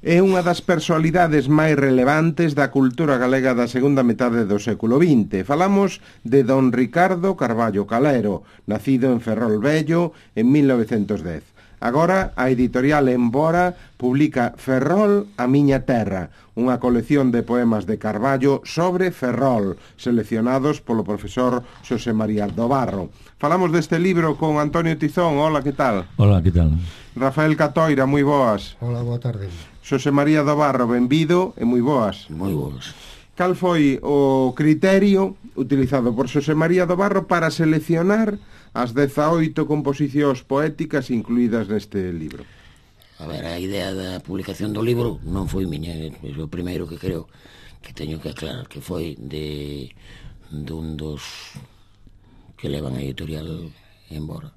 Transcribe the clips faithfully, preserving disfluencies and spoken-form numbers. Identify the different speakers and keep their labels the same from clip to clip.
Speaker 1: É unha das personalidades máis relevantes da cultura galega da segunda metade do século vinte. Falamos de don Ricardo Carballo Calero, nacido en Ferrol Vello en mil novecentos dez. Agora, a editorial Embora publica Ferrol, a miña terra, unha colección de poemas de Carballo sobre Ferrol, seleccionados polo profesor Xosé María do Barro. Falamos deste libro con Antonio Tizón. Hola, que tal?
Speaker 2: Hola, que tal?
Speaker 1: Rafael Catoira, moi boas.
Speaker 3: Hola, boa tarde.
Speaker 1: Xosé María do Barro, benvido e moi boas.
Speaker 4: Moi boas.
Speaker 1: Cal foi o criterio utilizado por Xosé María do Barro para seleccionar as dezaoito composicións poéticas incluídas neste libro?
Speaker 4: A ver, a idea da publicación do libro non foi miña, é o primeiro que creo que teño que aclarar, que foi de dun dos que levan a editorial Embora.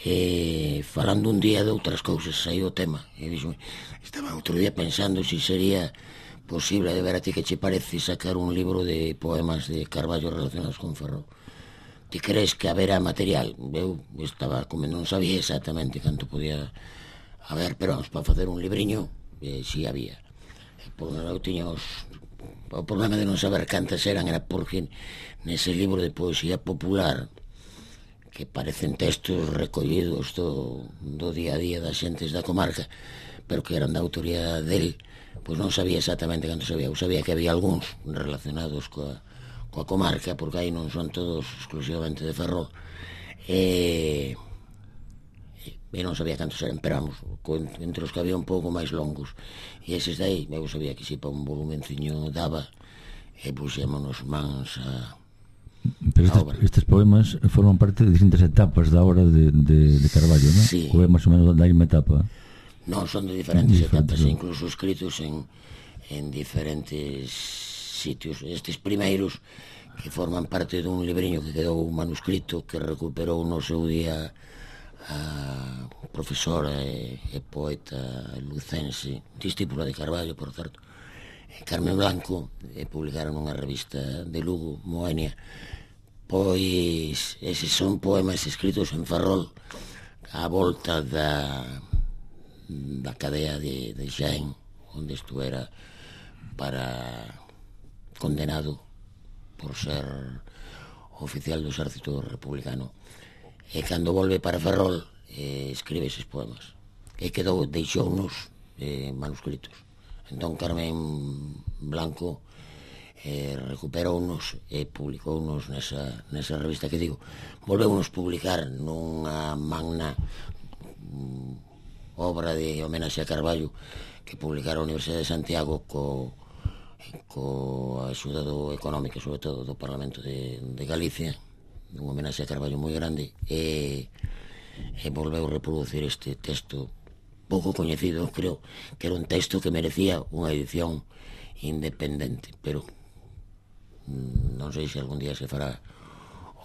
Speaker 4: E falando un día de outras cousas, saiu o tema, e dixo, estaba outro día pensando se sería posible, de ver a ti que che parece, sacar un libro de poemas de Carballo relacionados con Ferrol. Ti crees que haberá material? Eu estaba como non sabía exactamente canto podía haber, pero vamos, para facer un libriño, eh, si había. Por eu tiña os... O problema de non saber cantas eran era porque nese libro de poesía popular, que parecen textos recollidos do, do día a día das xentes da comarca, pero que eran da autoría del, pois non sabía exactamente cantos había. Eu sabía que había algúns relacionados coa coa comarca, porque aí non son todos exclusivamente de Ferrol, e, e non sabía cantos eran, pero vamos, entre os que había un pouco máis longos, e eses dai, eu sabía que si para un volumenciño daba, e puxémonos mans a,
Speaker 2: pero estes,
Speaker 4: a obra.
Speaker 2: Estes poemas forman parte de distintas etapas da obra de, de, de Carballo, non?
Speaker 4: Sí.
Speaker 2: Ou é máis ou menos da mesma etapa?
Speaker 4: Non, son de diferentes
Speaker 2: Diferente,
Speaker 4: etapas,
Speaker 2: non?
Speaker 4: incluso escritos en, en diferentes sitios. Estes primeiros que forman parte dun libriño que quedou manuscrito, que recuperou no seu día a profesora e, e poeta lucense, discípula de Carballo, por certo, Carmen Blanco, e publicaron unha revista de Lugo, Moenia. Pois eses son poemas escritos en Ferrol á volta da da cadea de, de Xaén, onde estuera para condenado por ser oficial do exército republicano, e cando volve para Ferrol eh, escribe eses poemas e quedou, deixounos eh, manuscritos. Entón Carmen Blanco eh, recuperounos e publicounos nesa, nesa revista que digo. Volveunos publicar nunha magna mm, obra de homenaxe a Carballo que publicara a Universidade de Santiago co coa axuda do económica, sobre todo do Parlamento de, de Galicia, un homenaxe a Carballo moi grande, e, e volveu reproducir este texto pouco coñecido. Creo que era un texto que merecía unha edición independente, pero non sei se algún día se fará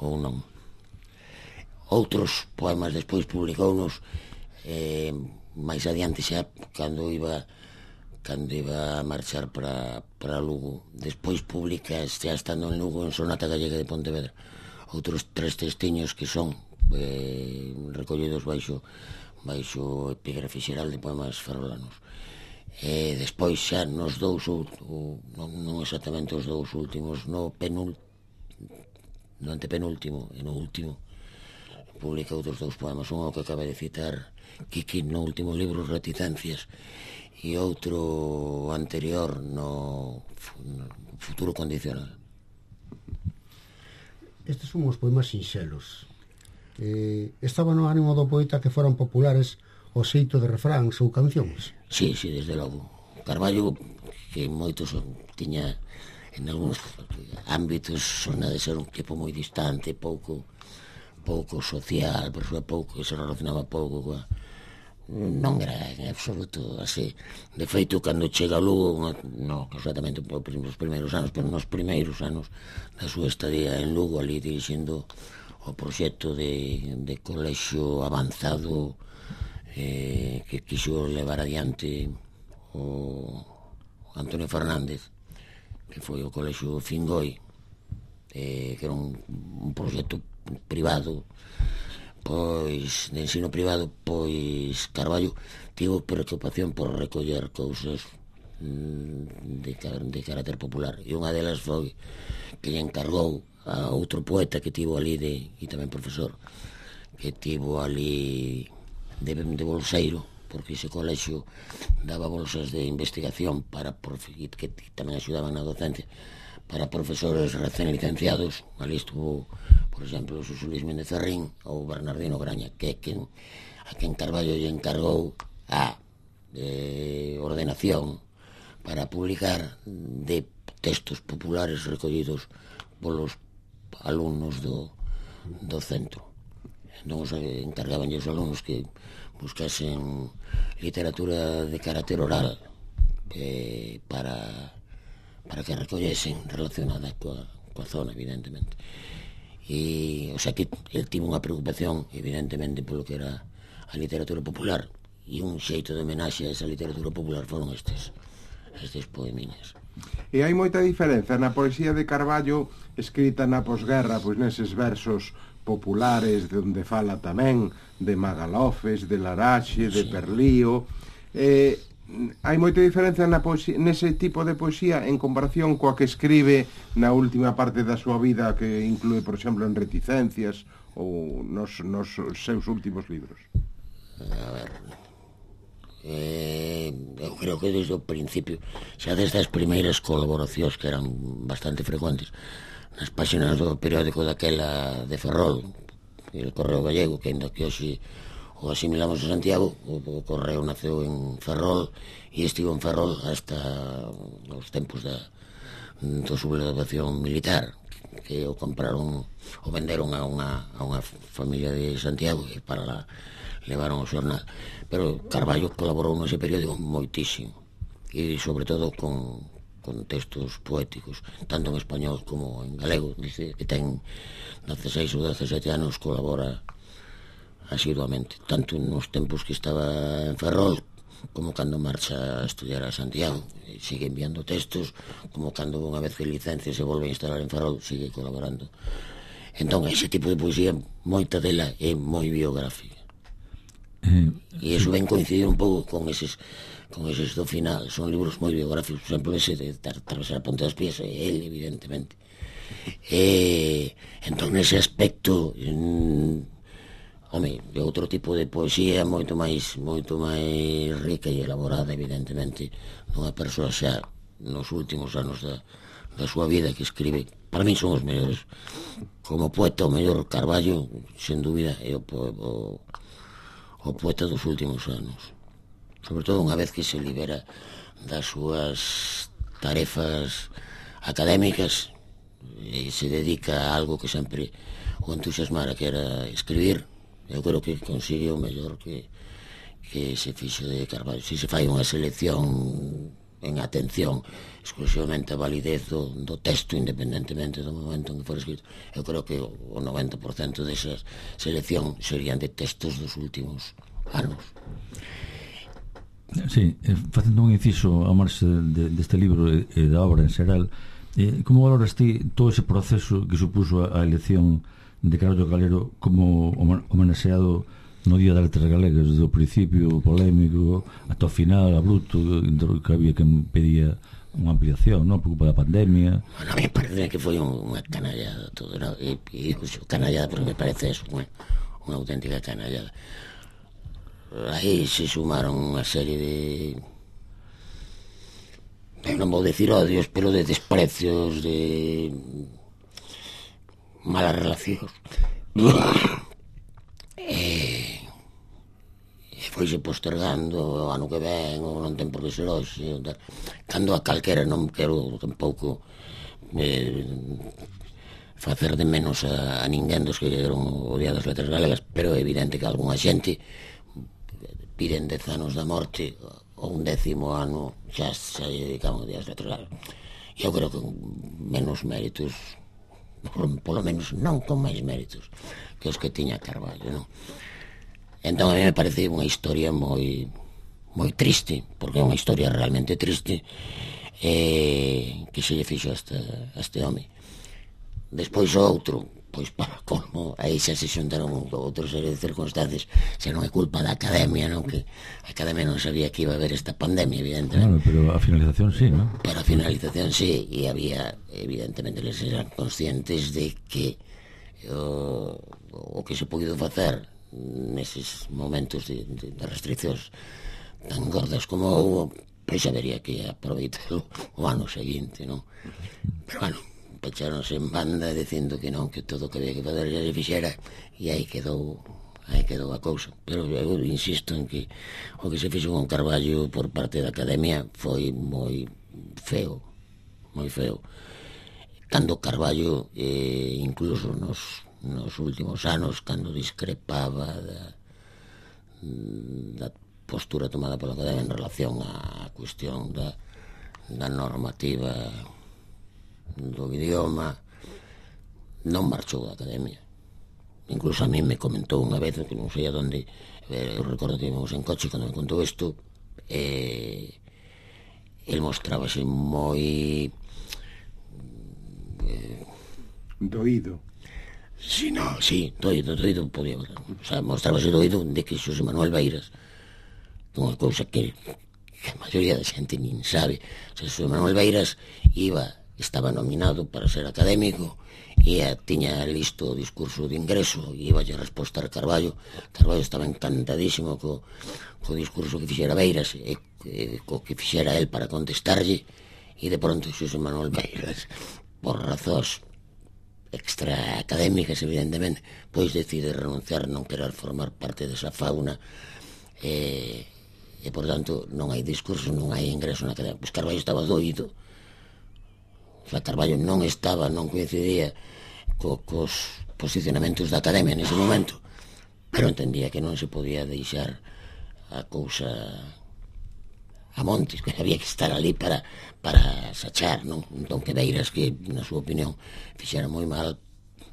Speaker 4: ou non. Outros poemas despois publicounos eh, máis adiante, xa cando iba cando iba a marchar para, para Lugo. Despois publica, xa estando en Lugo, en Sonata Gallega de Pontevedra, outros tres textiños que son eh, recollidos baixo baixo o epígrafe xeral de poemas ferrolanos. E despois xa nos dous, ou, ou, non, non exactamente os dous últimos, no penúltimo, no antepenúltimo e no último, publica outros dous poemas, un que acaba de citar Kiki no último libro, Reticencias, e outro anterior no, no Futuro Condicional.
Speaker 3: Estes son os poemas sinxelos. Eh, estaba no ánimo do poeta que foran populares o xeito de refráns ou cancións.
Speaker 4: Sí, sí, desde logo. Carballo, que moitos tiña en algúns ámbitos sona de ser un tipo moi distante, pouco pouco social, persoa pouco, que se relacionaba pouco coa... Non era en absoluto así. De feito, cando chega a Lugo, non exactamente os primeiros anos, pero nos primeiros anos da súa estadía en Lugo, ali dirixindo o proxecto de, de colexio avanzado eh, que quixo levar adiante o Antonio Fernández, que foi o colexio Fingoi, eh, que era un, un proxecto privado pois de ensino privado, pois Carballo tivo preocupación por recoller cousas de, de carácter popular, e unha delas foi que lle encargou a outro poeta que tivo ali de, e tamén profesor, que tivo ali de, de bolseiro, porque ese colexio daba bolsas de investigación para profe, que tamén axudaban na docencia para profesores recén licenciados. Ali estuvo, por exemplo, Suso Luis Méndez Ferrín ou Bernardino Graña, que é quen, a quen Carballo lle encargou a eh, ordenación para publicar de textos populares recollidos polos alumnos do, do centro. Entón, encargaban os alumnos que buscasen literatura de carácter oral eh, para, para que recollesen relacionada coa, coa zona, evidentemente. E, o sea, que el tivo unha preocupación, evidentemente, polo que era a literatura popular, e un xeito de homenaxe a esa literatura popular foron estes, estes poemiñas.
Speaker 1: E hai moita diferenza na poesía de Carballo escrita na posguerra, pois neses versos populares de onde fala tamén de Magalofes, de Laraxe, de Perlío. Eh, hai moita diferenza na poesía, nese tipo de poesía en comparación coa que escribe na última parte da súa vida, que inclúe, por exemplo, en Reticencias ou nos, nos seus últimos libros.
Speaker 4: A ver, eh, eu creo que desde o principio, xa desde as primeiras colaboracións que eran bastante frecuentes nas páxinas do periódico daquela de Ferrol, el Correo Gallego, que ainda que hoxe o asimilamos a Santiago, o, o Correo naceu en Ferrol e estivo en Ferrol hasta os tempos da, da sublevación militar, que o compraron, o venderon a unha, a unha familia de Santiago e para lá levaron o xornal. Pero Carballo colaborou nese periódico moitísimo, e sobre todo con con textos poéticos, tanto en español como en galego. Dice que ten dezasseis ou dezasete anos, colabora asiduamente, tanto nos tempos que estaba en Ferrol como cando marcha a estudiar a Santiago. Sigue enviando textos, como cando unha vez que licencia se volve a instalar en Ferrol, sigue colaborando. Entón, ese tipo de poesía, moita dela é moi biográfica. E iso ben coincidir un pouco con eses con eses do final, son libros moi biográficos. Por exemplo, ese de Atravesar a Ponte das Pías é ele, evidentemente. E entón, nese aspecto, mm, home, é outro tipo de poesía moito máis moito máis rica e elaborada, evidentemente, dunha persoa xa nos últimos anos da, da súa vida, que escribe, para mí son os mellores. Como poeta, o mellor Carballo, sen dúbida, é o, o o poeta dos últimos anos, sobre todo unha vez que se libera das súas tarefas académicas e se dedica a algo que sempre o entusiasmara, que era escribir. Eu creo que consigue o mellor que, que se fixo de Carballo. Se se fai unha selección en atención exclusivamente a validez do, do texto, independentemente do momento en que for escrito, eu creo que o noventa por cento desa selección serían de textos dos últimos anos.
Speaker 2: Sí, facendo un inciso a marxe de, deste libro e da obra en xeral, eh, como valoras ti todo ese proceso que supuso a elección de Carballo Calero como homenaxeado no Día das Letras Galegas, desde o principio polémico ata o final abrupto, que había quen pedía unha ampliación, non? Por culpa da pandemia.
Speaker 4: Bueno, a mí me parece que foi unha canallada todo, ¿no? E, e digo canallada porque me parece eso, unha, unha auténtica canallada. Aí se sumaron unha serie de, non vou decir odios, pero de desprecios, de malas relacións. E, e foise postergando o ano que ven, ou non ten por que ser hoxe, cando a calquera, non quero tampouco eh, facer de menos a, a ninguén dos que eran o Día das Letras Galegas, pero é evidente que algunha xente piden dez anos da morte ou un décimo ano xa se dedicaban ao Día das Letras Galegas. Eu creo que menos méritos, por, polo menos non con máis méritos que os que tiña Carballo, non? Entón a mí me parece unha historia moi moi triste, porque é unha historia realmente triste, eh, que se lle fixo a este, a este home. Despois o outro, pois para como aí xa se xuntaron outros serie de circunstancias, xa non é culpa da academia, non, que a academia non sabía que iba a haber esta pandemia, evidentemente.
Speaker 2: Claro, pero a finalización sí, non?
Speaker 4: Pero a finalización sí, e había, evidentemente, les eran conscientes de que o, o que se podido facer neses momentos de, de, de restriccións tan gordas como houve, pois habería que aproveitarlo o ano seguinte, non? Pero, bueno, pecharonse en banda dicindo que non, que todo o que había que fazer xa se fixera, e aí quedou aí quedou a cousa. Pero eu insisto en que o que se fixo con Carballo por parte da academia foi moi feo, moi feo. Cando Carballo, eh, incluso nos, nos últimos anos, cando discrepaba da, da postura tomada pola academia en relación á cuestión da, da normativa do idioma, non marchou da academia. Incluso a mí me comentou unha vez, que non sei a donde, eu recordo que íbamos en coche cando me contou isto, e el mostrábase moi eh,
Speaker 1: doído.
Speaker 4: Si, no, si, doído, doído podía, o sea, mostrábase doído de que Xosé Manuel Beiras, unha cousa que, que a maioría da xente nin sabe, o sea, Xosé Manuel Beiras iba estaba nominado para ser académico e tiña listo o discurso de ingreso e iba a respostar Carballo. Carballo estaba encantadísimo co, co discurso que fixera Beiras e, e co que fixera el para contestarlle, e de pronto Xosé Manuel Beiras, por razóns extra académicas evidentemente, pois decide renunciar, non querer formar parte desa fauna, e, e por tanto non hai discurso, non hai ingreso na academia. Pois Carballo estaba doído. O sea, Carballo non estaba, non coincidía co, cos posicionamentos da academia nese momento, pero entendía que non se podía deixar a cousa a montes, que había que estar ali para, para sachar, non? Entón que Beiras, que na súa opinión fixera moi mal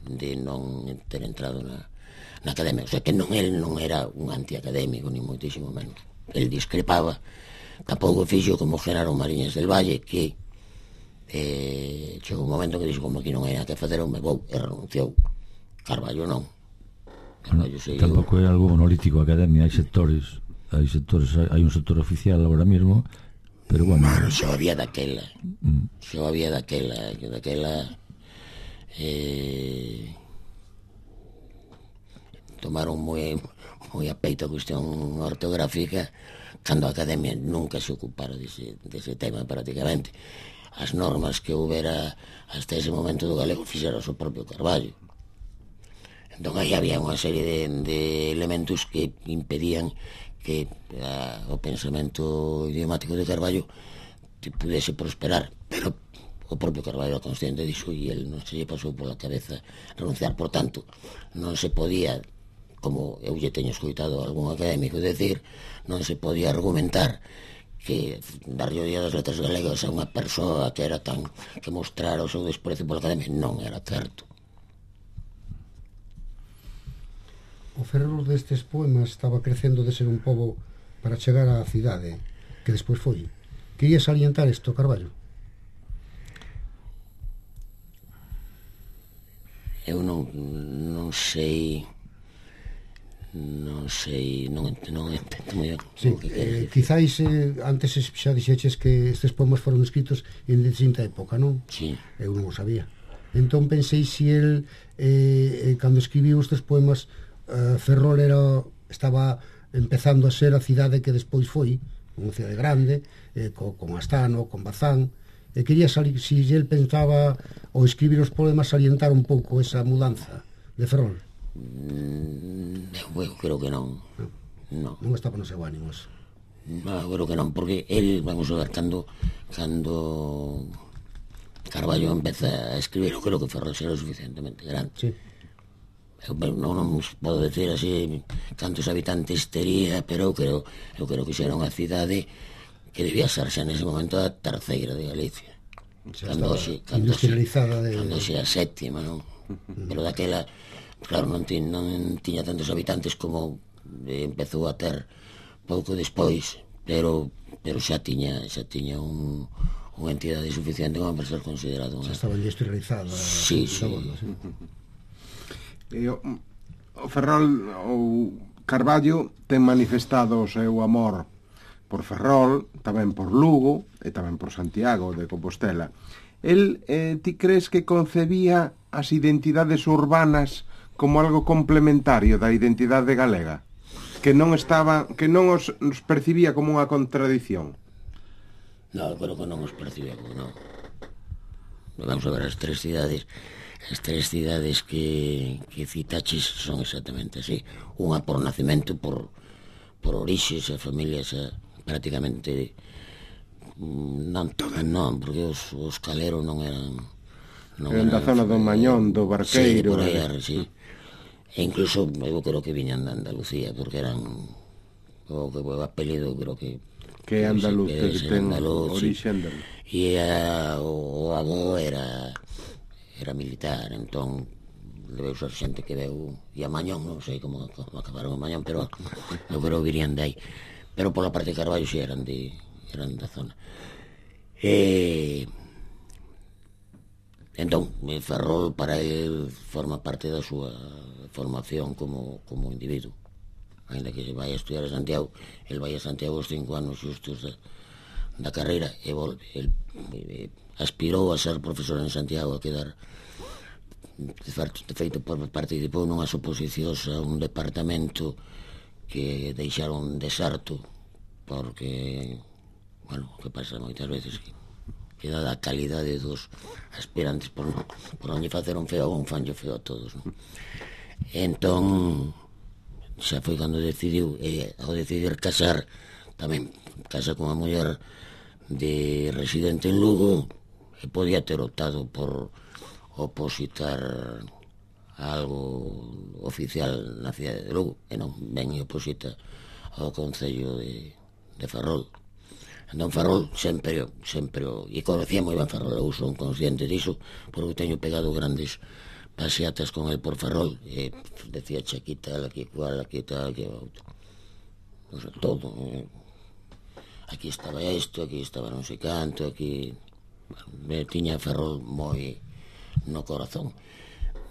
Speaker 4: de non ter entrado na, na academia. O sea, que non, el non era un antiacadémico, ni moitísimo menos. El discrepaba, tampouco fixo como Genaro Mariñas del Valle, que eh, chegou un momento que dixo, como aquí non hai nada que facer, eu me vou, e renunciou. Carballo non. Carballo seguiu.
Speaker 2: Tampouco é algo monolítico a academia, hai sectores, hai sectores, hai un sector oficial agora mesmo, pero bueno.
Speaker 4: Bueno, xa había daquela, mm. xa había daquela, que daquela eh, tomaron moi, moi a peito a cuestión ortográfica, cando a academia nunca se ocupara dese, dese tema prácticamente. As normas que houbera hasta ese momento do galego fixera o propio Carballo. Entón aí había unha serie de, de elementos que impedían que a, o pensamento idiomático de Carballo pudese prosperar, pero o propio Carballo era consciente disso e el non se lle pasou pola cabeza renunciar. Por tanto, non se podía, como eu lle teño escoitado a algún académico decir, non se podía argumentar que darlle o Día das Letras Galegas a unha persoa que era tan que mostrara o seu desprezo pola academia non era certo.
Speaker 3: O fervor destes poemas estaba crecendo de ser un pobo para chegar á cidade que despois foi. Quería salientar isto, Carballo?
Speaker 4: Eu non, non sei non sei, non, non entendo moi ben.
Speaker 3: Sí, eh, quizáis eh, antes xa dixeches que estes poemas foron escritos en distinta época, non?
Speaker 4: Sí.
Speaker 3: Eu non o sabía. Entón pensei se el eh, cando escribiu estes poemas eh, Ferrol era, estaba empezando a ser a cidade que despois foi, unha cidade grande, eh, co, con Astano, con Bazán, e quería salir, se el pensaba ao escribir os poemas salientar un pouco esa mudanza de Ferrol.
Speaker 4: Mm, eu creo que non.
Speaker 3: Non, non estaba no seu ánimo eso.
Speaker 4: No, eu creo que non, porque el, vamos a ver, cando cando Carballo empeza a escribir, eu creo que Ferrol será suficientemente grande.
Speaker 3: Sí.
Speaker 4: Eu non, non podo decir así cantos habitantes tería, pero eu creo, eu creo que xera unha cidade que debía ser xa nese momento a terceira de Galicia.
Speaker 3: Xa
Speaker 4: cando xe, cando
Speaker 3: industrializada de...
Speaker 4: cando xe a sétima, non? Pero daquela, claro, non, ti, non tiña tantos habitantes como eh, empezou a ter pouco despois, pero pero xa tiña xa tiña un, unha entidade suficiente como para ser considerado unha...
Speaker 3: Xa estaba industrializada.
Speaker 4: Sí, sí.
Speaker 3: Bueno, sí.
Speaker 1: E o, o Ferrol ou Carballo ten manifestado o seu amor por Ferrol, tamén por Lugo e tamén por Santiago de Compostela. El, eh, ti crees que concebía as identidades urbanas como algo complementario da identidade galega? Que non estaba, que non os, os percibía como unha contradición?
Speaker 4: No, creo que non os percibía como non. Vamos a ver, as tres cidades as tres cidades que, que citaches son exactamente así. Unha por nacimento, por, por orixes, a familias a, prácticamente non todas non, porque os, os caleros non eran non
Speaker 1: eran da zona do Mañón, do Barqueiro.
Speaker 4: Sí, por aí, eh. sí. E incluso eu creo que viñan de Andalucía, porque eran o que o apelido creo que
Speaker 1: que é andaluz, que, que ten
Speaker 4: orixe andaluz. E a, o, o avó era era militar, entón debeu ser xente que veu e a Mañón, non sei como, como acabaron a Mañón, pero eu creo que virían de aí. Pero pola parte de Carballo si eran de eran da zona. E entón, Ferrol para el forma parte da súa formación como, como individuo. Ainda que se vai a estudiar a Santiago, el vai a Santiago os cinco anos xustos da, da carreira e volve. El eh, aspirou a ser profesor en Santiago, a quedar de feito participou nunhas oposicións a un departamento que deixaron deserto porque, bueno, que pasa moitas veces que, que dada a calidade dos aspirantes por non, por non lle facer un feo un fanlle feo a todos, non? Entón xa foi cando decidiu e ao decidir casar tamén casa con a muller de residente en Lugo e podía ter optado por opositar a algo oficial na cidade de Lugo e non ben e oposita ao Concello de, de Ferrol. Entón Ferrol sempre, sempre e conocía moi ben Ferrol, eu son consciente diso porque teño pegado grandes paseatas con el por Ferrol e decía aquí tal, aquí cual, aquí tal, aquí outro, o sea, todo, eh. Aquí estaba isto, aquí estaba non sei canto, aquí me tiña Ferrol moi no corazón.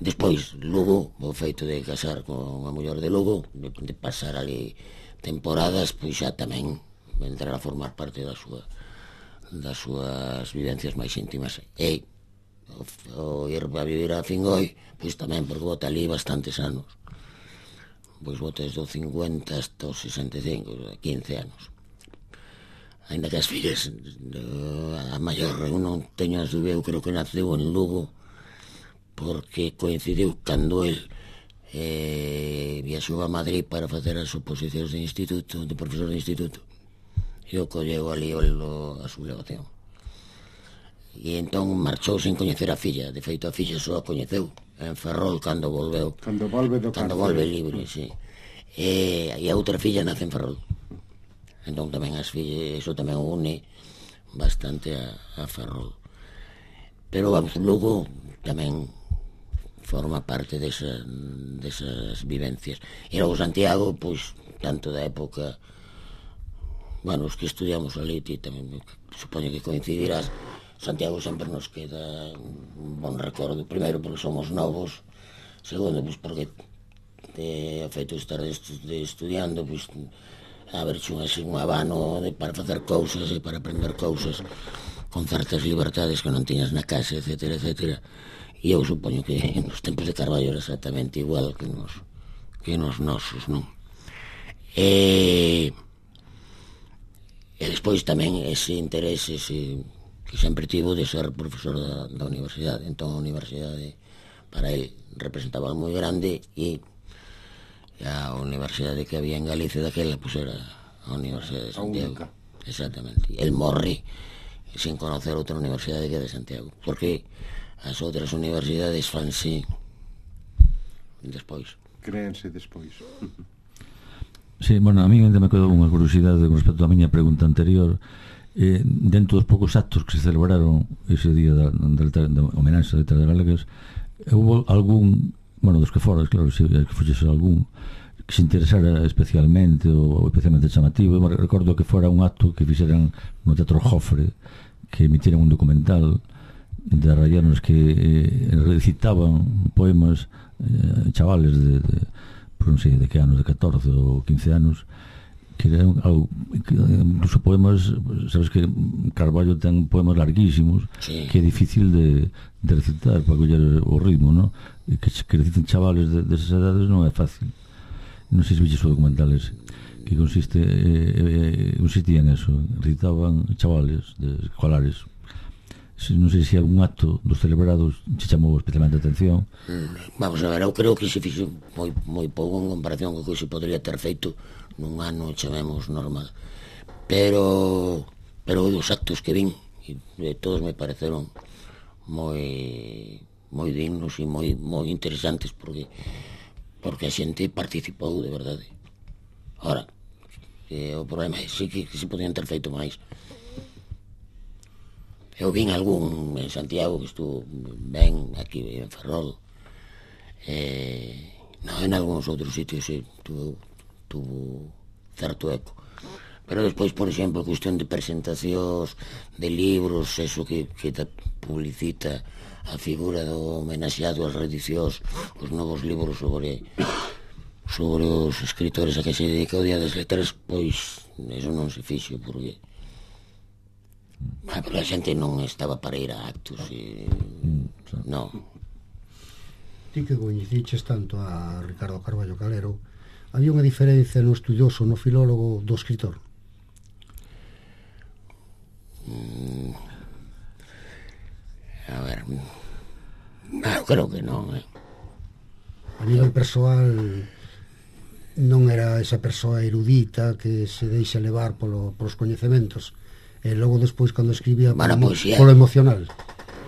Speaker 4: Despois, Lugo, o feito de casar con a muller de Lugo, de, de pasar ali temporadas, pois xa tamén entrar a formar parte da súa das súas vivencias máis íntimas. E o, o ir a vivir a Fingoi, pois tamén, porque bota ali bastantes anos. Pois bota desde o cincuenta hasta o sesenta e cinco, quince anos. Ainda que as fillas, a maior, eu non teño as dúbidas, eu creo que naceu en Lugo, porque coincidiu cando el eh, viaxou a Madrid para facer as oposicións de instituto, de profesor de instituto, e o colleu ali o, a sublevación. E entón marchou sen coñecer a filla, de feito a filla só a coñeceu en Ferrol cando volveu,
Speaker 1: cando volve do
Speaker 4: cando volve libre, sí. E, e a outra filla nace en Ferrol. Entón tamén as fillas, iso tamén o une bastante a, a Ferrol. Pero vamos, Lugo tamén forma parte desa, desas vivencias. E logo Santiago, pois, tanto da época, bueno, os que estudiamos ali, ti tamén supoño que coincidirás, Santiago sempre nos queda un bon recordo, primeiro porque somos novos, segundo, pois porque te afeito estar de, de estudiando, pois haberche un, así, un abano de, para facer cousas e para aprender cousas con certas libertades que non tiñas na casa, etcétera, etcétera. E eu supoño que nos tempos de Carballo era exactamente igual que nos, que nos nosos, non? E, e despois tamén ese interés ese, que sempre tivo de ser profesor da, da universidade. Entón a universidade para el representaba moi grande e a universidade que había en Galicia daquela pues era a Universidade de Santiago. Exactamente. El morre sin conocer outra universidade que a de Santiago, porque as outras universidades fanse despois.
Speaker 1: Créense despois.
Speaker 2: Sí, bueno, a mí ainda me quedou unha curiosidade con respecto á miña pregunta anterior. Eh, dentro dos poucos actos que se celebraron ese día da, da, da, da homenaxe a letras galegas, houve algún, bueno, dos que foras, claro, se que foxese algún que se interesara especialmente ou especialmente chamativo. Eu recordo que fora un acto que fixeran no Teatro Jofre, que emitiran un documental de arraianos que eh, recitaban poemas eh, chavales de, de pues non sei de que anos, de catorce ou quince anos, que eran algo, que, incluso poemas, sabes que Carballo ten poemas larguísimos, sí, que é difícil de, de recitar para coller o ritmo, ¿no? E que, que reciten chavales de, desas edades non é fácil. Non sei se viches o documental ese, que consiste eh, eh, consistía en eso, recitaban chavales de escolares. Non sei se algún acto dos celebrados se chamou especialmente a atención.
Speaker 4: Vamos a ver, eu creo que se fixo moi, moi pouco en comparación co que se podría ter feito nun ano, chamemos, normal. Pero pero os actos que vin, e todos me pareceron moi moi dignos e moi, moi interesantes, porque porque a xente participou de verdade. Ora, eh, o problema é sí que, que se podían ter feito máis. Eu vin algún en Santiago que estuvo ben, aquí en Ferrol, eh, non, en algúns outros sitios sí, tuvo, tuvo certo eco. Pero despois, por exemplo, cuestión de presentacións de libros, eso que, que publicita a figura do homenaxeado ás reedicións, os novos libros sobre sobre os escritores a que se dedica o Día das Letras, pois eso non se fixo, porque ah, pero a xente non estaba para ir a actos e... mm, non.
Speaker 3: Ti que coñeciches tanto a Ricardo Carballo Calero, había unha diferencia no estudioso, no filólogo do escritor?
Speaker 4: Mm, a ver, ah, creo que non, eh.
Speaker 3: A nivel persoal non era esa persoa erudita que se deixa levar polo, polos coñecementos, e logo despois cando escribía
Speaker 4: bueno,
Speaker 3: polo,
Speaker 4: poesía,
Speaker 3: polo emocional.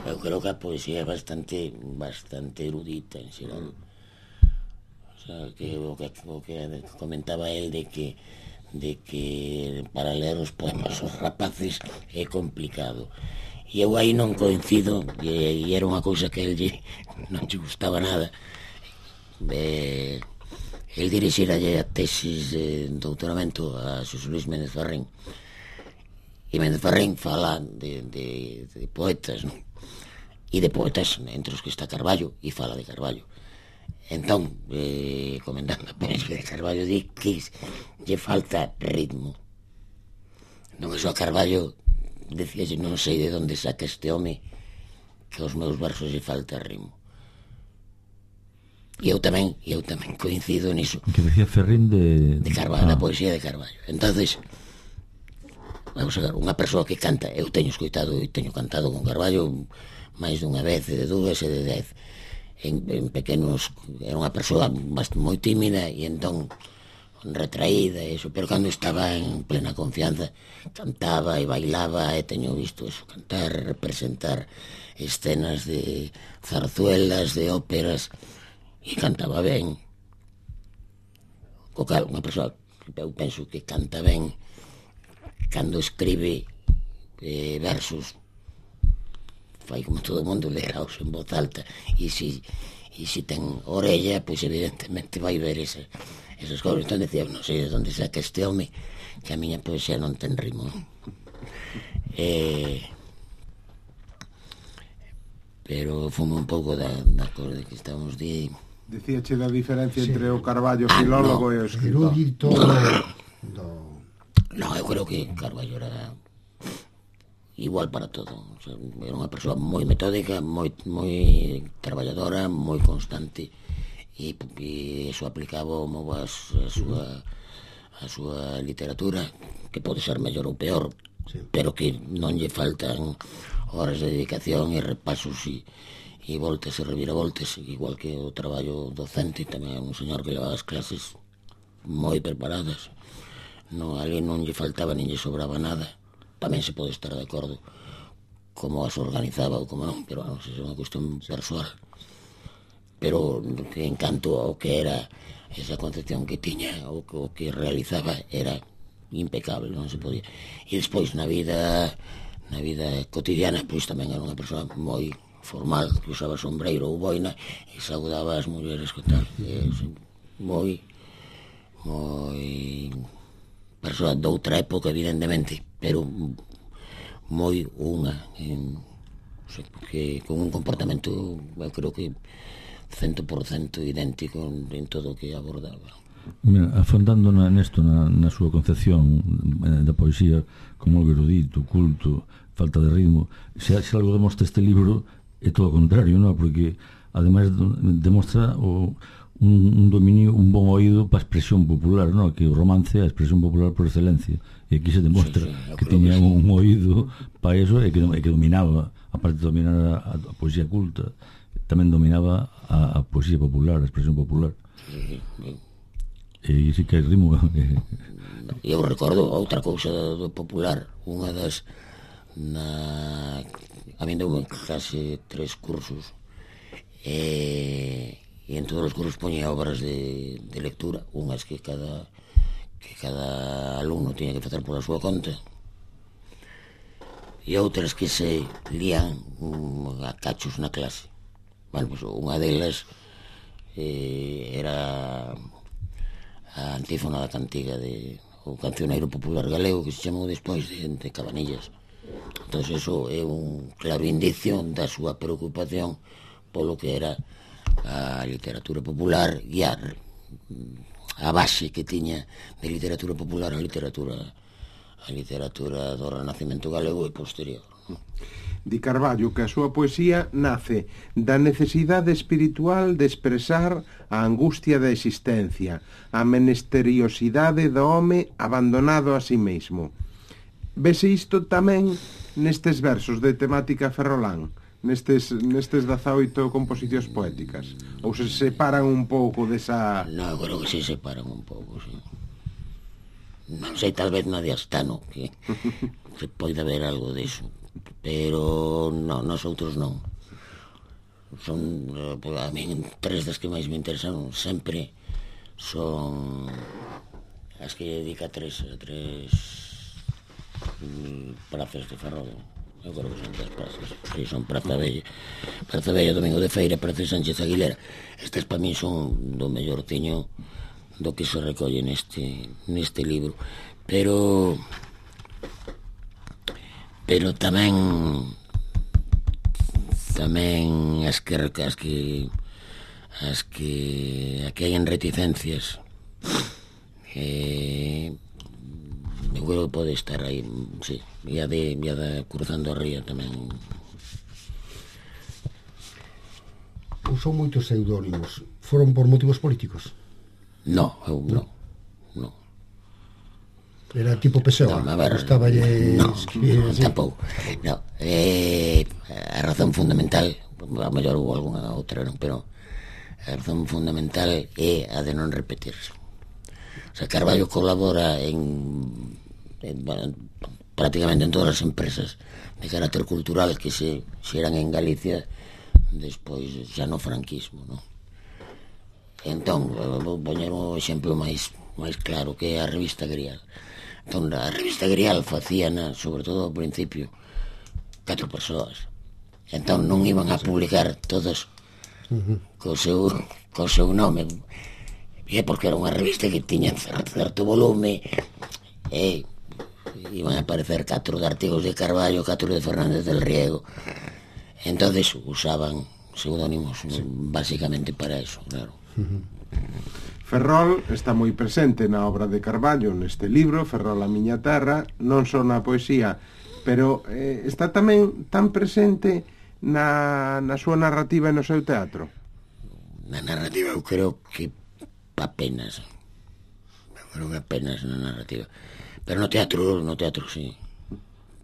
Speaker 4: Eu creo que a poesía é bastante bastante erudita en xeral. O sea, que o que, o que comentaba el de que de que para ler os poemas os rapaces é complicado. E eu aí non coincido, e, e era unha cousa que el non lle gustaba nada. Eh, el dirixiralle a tesis de doutoramento a Xosé Luis Méndez Ferrín. E Méndez Ferrín fala de, de, de poetas, non? E de poetas entre os que está Carballo, e fala de Carballo. Entón, eh, comentando a poesía de Carballo, di que lle falta ritmo. Non é só Carballo, decía, non sei de onde saca este home, que aos meus versos lle falta ritmo. E eu tamén, e eu tamén coincido niso.
Speaker 2: Que decía Ferrín de...
Speaker 4: De Carballo, ah. Da poesía de Carballo. Entonces, vamos a ver, unha persoa que canta, eu teño escoitado e teño cantado con Carballo máis dunha vez, de dúas e de dez. En, en pequenos, era unha persoa bastante moi tímida e entón retraída e iso, pero cando estaba en plena confianza cantaba e bailaba, e teño visto eso, cantar, representar escenas de zarzuelas, de óperas, e cantaba ben. O cal, unha persoa que eu penso que canta ben cando escribe eh, versos, fai como todo o mundo, leraos en voz alta, e se e se ten orella, pois evidentemente vai ver esa, esas cousas. Entón decía, non sei de onde saca este home, que a miña poesía non ten ritmo. Eh, pero fume un pouco da, da cosa de que estamos di...
Speaker 1: Dicíache da diferencia sí. entre o Carballo filólogo ah, no. e o escritor.
Speaker 3: Erudito do...
Speaker 4: No, eu creo que Carballo era igual para todo. O sea, era unha persoa moi metódica, moi moi traballadora, moi constante, e, e iso aplicaba mo a, a súa a súa literatura, que pode ser mellor ou peor, sí, pero que non lle faltan horas de dedicación e repasos e, e voltas e reviravoltas, igual que o traballo docente. Tamén é un señor que levaba as clases moi preparadas, no, ali non lle faltaba nin lle sobraba nada. Tamén se pode estar de acordo como as organizaba ou como non, pero vamos, é unha cuestión persoal. Pero en canto ao que era esa concepción que tiña, o que, o que realizaba, era impecable, non se podía. E despois na vida na vida cotidiana, pois tamén era unha persoa moi formal, que usaba sombreiro ou boina e saudaba as mulleres que tal. É, moi moi persoa doutra época, evidentemente, pero moi unha en o sea, que con un comportamento, eu creo que cento por cento idéntico en todo o que abordaba.
Speaker 2: Mira, afondando na, nesto na, na súa concepción da poesía como algo erudito, culto, falta de ritmo, se, se algo demostra este libro é todo o contrario, non? Porque ademais demostra o, un, un dominio, un bon oído para a expresión popular, non? Que o romance é a expresión popular por excelencia, e aquí se demostra sí, sí, que tiña que sí. un oído para eso e que, e que dominaba, aparte de dominar a, a poesía culta, tamén dominaba a, a poesía popular, a expresión popular.
Speaker 4: Sí, sí.
Speaker 2: E si que hai ritmo.
Speaker 4: Eu recordo outra cousa do popular, unha das na a min deu case tres cursos e, e en todos os cursos poñía obras de, de lectura, unhas que cada que cada alumno tiña que facer pola súa conta e outras que se lían a cachos na clase. Bueno, pues unha delas eh, era a antífona da cantiga de o cancioneiro popular galego que se chamou despois de, de Cabanillas. Entón, eso é un claro indicio da súa preocupación polo que era a literatura popular e a, a base que tiña de literatura popular a literatura a literatura do Renacimento galego e posterior.
Speaker 1: Di Carballo que a súa poesía nace da necesidade espiritual de expresar a angustia da existencia, a menesteriosidade do home abandonado a si mesmo. Vese isto tamén nestes versos de temática ferrolán, nestes, nestes dezaoito composicións poéticas? Ou se separan un pouco desa...
Speaker 4: No, creo que se separan un pouco, sí. Non sei, tal vez na de Astano, que se pode ver algo diso. Pero non, nos outros non. Son, a mí, tres das que máis me interesan sempre son as que dedica tres a tres prazas de Ferrol. Eu creo que son tres prazas, que son Praza Bella, Praza Bella, Domingo de Feira, Praza Sánchez Aguilera. Estas para mí son do mellortiño do que se recolle neste neste libro. Pero pero tamén tamén as que as que as que aquí hai en reticencias eh, eu creo que pode estar aí, sí, e a de, e a de Cruzando a Ría tamén.
Speaker 3: Usou moitos pseudónimos. Foron por motivos políticos?
Speaker 4: No, eu non, non.
Speaker 3: Era tipo Pessoa,
Speaker 4: no, ver,
Speaker 3: gustaba lle
Speaker 4: no, escribir, no, tampouco. No, eh, a razón fundamental, a mellor hubo algunha outra, non, pero a razón fundamental é a de non repetirse. O sea, Carballo colabora en, en bueno, prácticamente en todas as empresas de carácter cultural que se xeran en Galicia despois xa no franquismo, non? Entón, vou poñer un exemplo máis máis claro, que é a revista Grial. Entón, a revista Grial facíana, sobre todo ao principio, catro persoas. Entón, non iban a publicar todos co seu, co seu nome. E porque era unha revista que tiña certo volume e iban a aparecer catro de artigos de Carballo, catro de Fernández del Riego. Entonces usaban pseudónimos, sí, basicamente para eso, claro.
Speaker 1: Ferrol está moi presente na obra de Carballo neste libro, Ferrol a miña terra, non só na poesía, pero eh, está tamén tan presente na, na súa narrativa e no seu teatro.
Speaker 4: Na narrativa eu creo que apenas, eu creo que apenas na narrativa, pero no teatro, no teatro sí,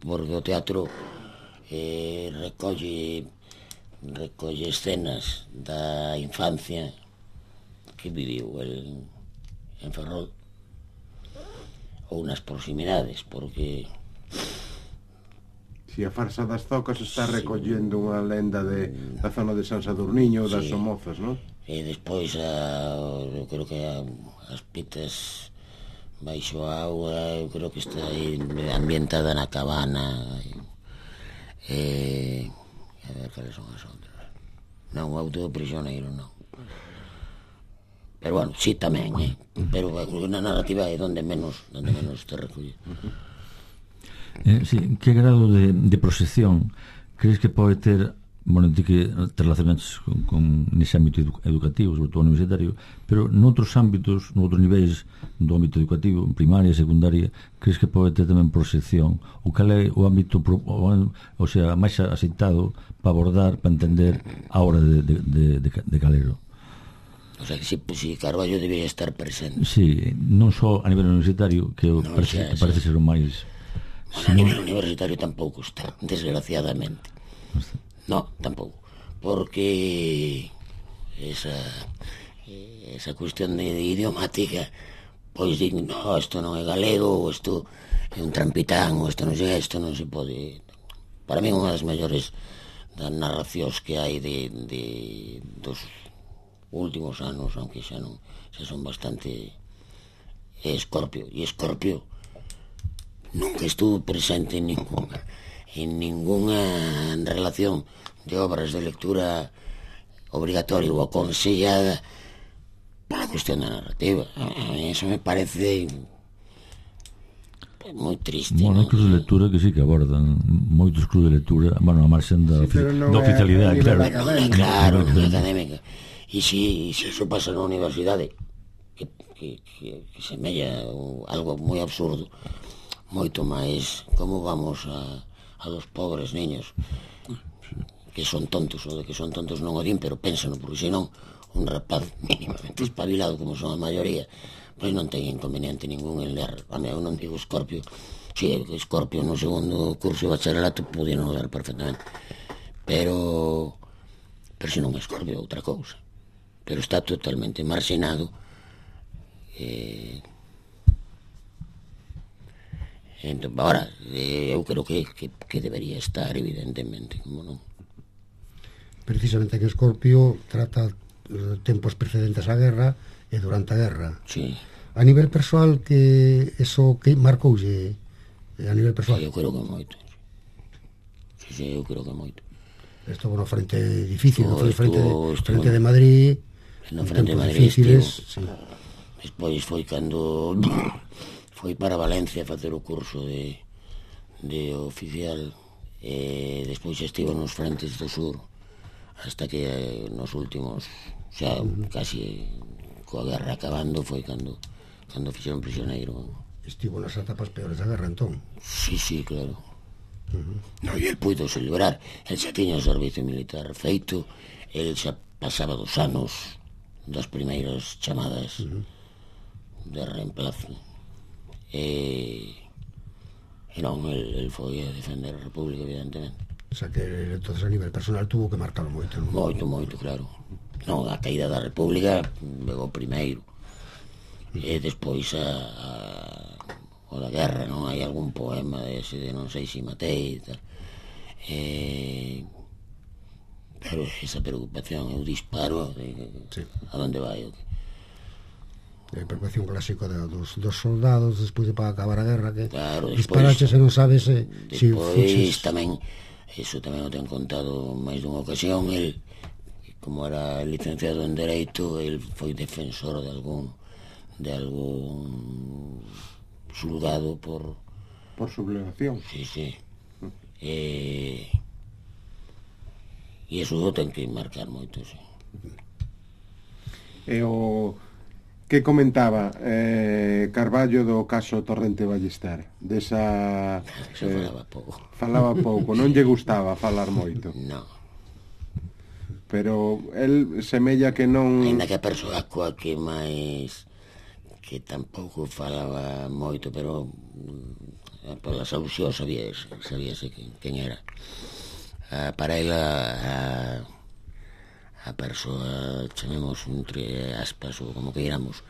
Speaker 4: porque o teatro eh, recolle recolle escenas da infancia que viviu el en Ferrol ou nas proximidades, porque
Speaker 1: si a farsa das zocas está recollendo unha lenda de, da zona de San Sadurniño ou das sí, Somozas, non?
Speaker 4: E despois a, eu creo que a, as pitas baixo a auga, eu creo que está aí ambientada na cabana e, a ver cales son as outras. Non, o auto do prisioneiro non. Pero bueno, sí tamén, eh? Pero na narrativa é donde menos, donde menos te recolle.
Speaker 2: Eh, sí, que grado de, de proxección crees que pode ter, bueno, ti que te relacionas con, con nese ámbito edu educativo, sobre todo universitario, pero noutros ámbitos, noutros niveis do ámbito educativo, primaria, secundaria, crees que pode ter tamén proxección? O cal é o ámbito, o, o sea, máis aceitado para abordar, para entender a obra de, de, de, de, de Calero?
Speaker 4: O sea, que si, si Carballo debería estar presente.
Speaker 2: Sí, non só a nivel universitario, que, no, parece, xa, que parece ser o máis...
Speaker 4: Bueno, sino... a nivel universitario tampouco está, desgraciadamente. No, tampouco. Porque esa esa cuestión de, de idiomática, pois din, no, isto non é galego, ou isto é un trampitán, ou isto non é, isto non se pode. Para mí unha das mellores das narracións que hai de, de dos últimos anos, aunque xa non, xa son bastante, é Escorpio, e Escorpio nunca estuvo presente en ninguna en ninguna relación de obras de lectura obligatoria ou aconsellada para a cuestión da narrativa. A mí eso me parece moi triste.
Speaker 2: Bueno, hai clubes de lectura que sí que abordan moitos clubes de lectura, bueno, a marxen da, sí, da oficialidade, claro.
Speaker 4: Claro, na académica. E se si, si eso pasa na universidade, que, que, que, que semella algo moi absurdo, moito máis, como vamos a a los pobres niños que son tontos, ou de que son tontos non o din, pero pénsano, porque senón un rapaz mínimamente espabilado como son a maioría, pois non ten inconveniente ningún en ler. A mí, eu non digo Escorpio, si, Escorpio no segundo curso de bacharelato podía non ler perfectamente, pero pero se non é Escorpio é outra cousa, pero está totalmente marxinado. eh Entón, ahora, eu creo que, que, que debería estar, evidentemente, como non.
Speaker 3: Precisamente en Escorpio trata tempos precedentes á guerra e durante a guerra.
Speaker 4: Sí.
Speaker 3: A nivel persoal, que eso que marcoulle a nivel persoal?
Speaker 4: Sí, eu creo que moito. Sí, sí, eu creo que moito.
Speaker 3: Estuvo no frente difícil, no frente,
Speaker 4: estuvo,
Speaker 3: de, frente de Madrid,
Speaker 4: no frente de Madrid
Speaker 3: difíciles, sí.
Speaker 4: Despois foi cando foi para Valencia a facer o curso de, de oficial, e despois estivo nos frentes do sur hasta que eh, nos últimos, xa uh-huh. casi coa guerra acabando, foi cando cando fixeron prisioneiro.
Speaker 3: Estivo nas etapas peores da guerra, entón.
Speaker 4: Sí, sí, claro. Uh-huh. No, e el puido celebrar, el xa tiña o servicio militar feito, el xa pasaba dos anos das primeiras chamadas uh-huh. de reemplazo. E, e non, el, el foi a defender a República, evidentemente.
Speaker 3: O sea que entonces a nivel personal tuvo que marcarlo moito, non?
Speaker 4: Moito, moito, claro. Non, a caída da República pegou primeiro, e despois a, a o da guerra, non? Hai algún poema ese de non sei si matei e tal, e pero esa preocupación, eu disparo de, sí. a donde vai o que
Speaker 3: a preocupación clásico de, dos, dos soldados despois de para acabar a guerra, que
Speaker 4: claro,
Speaker 3: disparaches e non sabes se si
Speaker 4: fuches. Tamén, eso tamén o ten contado máis dunha ocasión, el, como era licenciado en Dereito, el foi defensor de algún de algún xulgado por
Speaker 1: por sublevación.
Speaker 4: Sí, sí. E e eso o ten que marcar moito, sí.
Speaker 1: E o que comentaba eh, Carballo do caso Torrente Ballester, desa
Speaker 4: Eso eh, falaba pouco.
Speaker 1: Falaba pouco, non lle gustaba falar moito.
Speaker 4: No.
Speaker 1: Pero el semella que non...
Speaker 4: Ainda que a persoa coa que máis que tampouco falaba moito, pero polas alusións sabíase, sabíase quen, quen era. Ah, para ela a, a persoa, chamemos entre aspas ou como que iramos,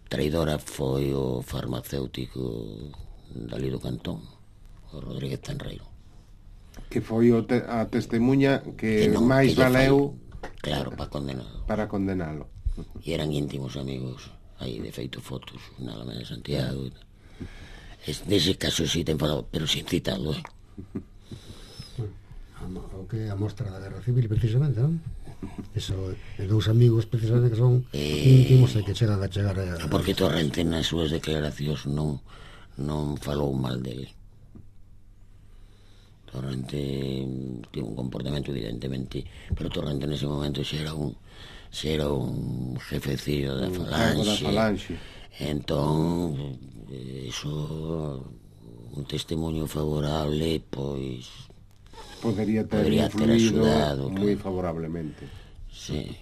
Speaker 4: traidora foi o farmacéutico dali do Cantón, o Rodríguez Tenreiro,
Speaker 1: que foi o te, a testemunha que,
Speaker 4: que non,
Speaker 1: máis
Speaker 4: que
Speaker 1: valeu
Speaker 4: fai, claro, para condenalo
Speaker 1: para condenalo
Speaker 4: e eran íntimos amigos, aí de feito fotos na Alameda de Santiago. Es, dese caso si sí ten falado, pero sin citarlo, eh?
Speaker 3: O que a mostra da Guerra Civil, precisamente, non? Eso, de dous amigos precisamente que son eh, íntimos e que chegan a chegar a...
Speaker 4: Porque Torrente nas súas declaracións non non falou mal dele. Torrente tivo un comportamento evidentemente, pero Torrente nese momento xa era un xa era un jefecillo da falanxe,
Speaker 1: da falanxe.
Speaker 4: Entón iso, un testemunho favorable, pois
Speaker 1: podería ter
Speaker 4: podría ter
Speaker 1: influído
Speaker 4: axudado,
Speaker 1: moi
Speaker 4: claro.
Speaker 1: favorablemente.
Speaker 4: Sí.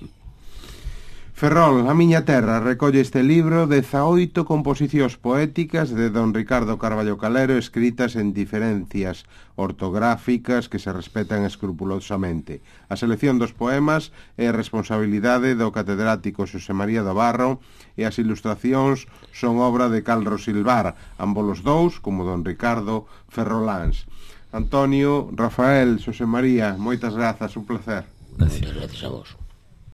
Speaker 1: Ferrol, A miña terra, recolle este libro dezaoito composicións poéticas de don Ricardo Carballo Calero escritas en diferencias ortográficas que se respetan escrupulosamente. A selección dos poemas é responsabilidade do catedrático Xosé María do Barro e as ilustracións son obra de Carlos Silvar, ambos os dous, como don Ricardo, ferroláns. Antonio, Rafael, Xosé María, moitas grazas, un placer.
Speaker 4: Moitas gracias a vos.